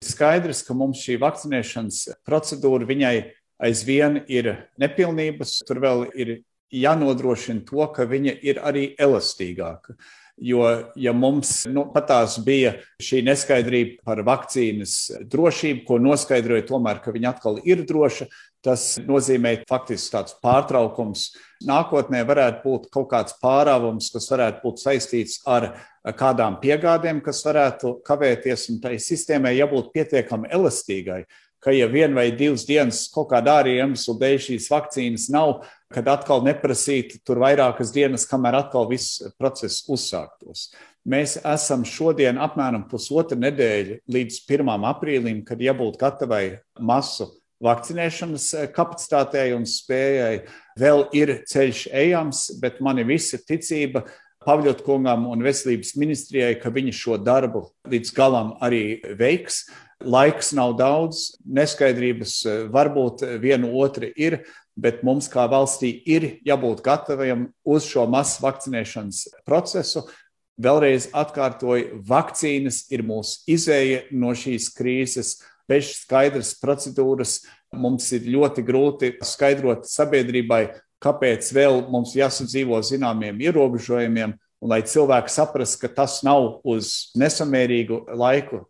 Skaidrs, ka mums šī vakcinēšanas procedūra viņai aizvien ir nepilnības, tur vēl ir jānodrošina to, ka viņa ir arī elastīgāka. Jo, ja mums patās bija šī neskaidrība par vakcīnas drošību, ko noskaidroja tomēr, ka viņa atkal ir droša, tas nozīmē faktiski tāds pārtraukums. Nākotnē varētu būt kaut kāds pārāvums, kas varētu būt saistīts ar kādām piegādēm, kas varētu kavēties, un tai sistēmai jābūt pietiekami elastīgai, ka ja 1 vai 2 dienas kaut kādā ārēja iemesla dēļ šīs vakcīnas nav, kad atkal neprasīt tur vairākas dienas, kamēr atkal viss process uzsāktos. Mēs esam šodien apmēram pusotru nedēļu līdz 1. aprīlim, kad jābūt gatavai masu vakcinēšanas kapacitātei un spējai. Vēl ir ceļš ejams, bet mani visa ticība Pavļot kungam un veselības ministrijai, ka viņi šo darbu līdz galam arī veiks. Laiks nav daudz, neskaidrības varbūt vienu otru ir, bet mums kā valstī ir jābūt gataviem uz šo masu vakcinēšanas procesu. Vēlreiz atkārtoju, vakcīnas ir mūsu izēja no šīs krīzes. Bez skaidras procedūras mums ir ļoti grūti skaidrot sabiedrībai, kāpēc vēl mums jāsadzīvo zināmiem ierobežojumiem, un lai cilvēki saprast, ka tas nav uz nesamērīgu laiku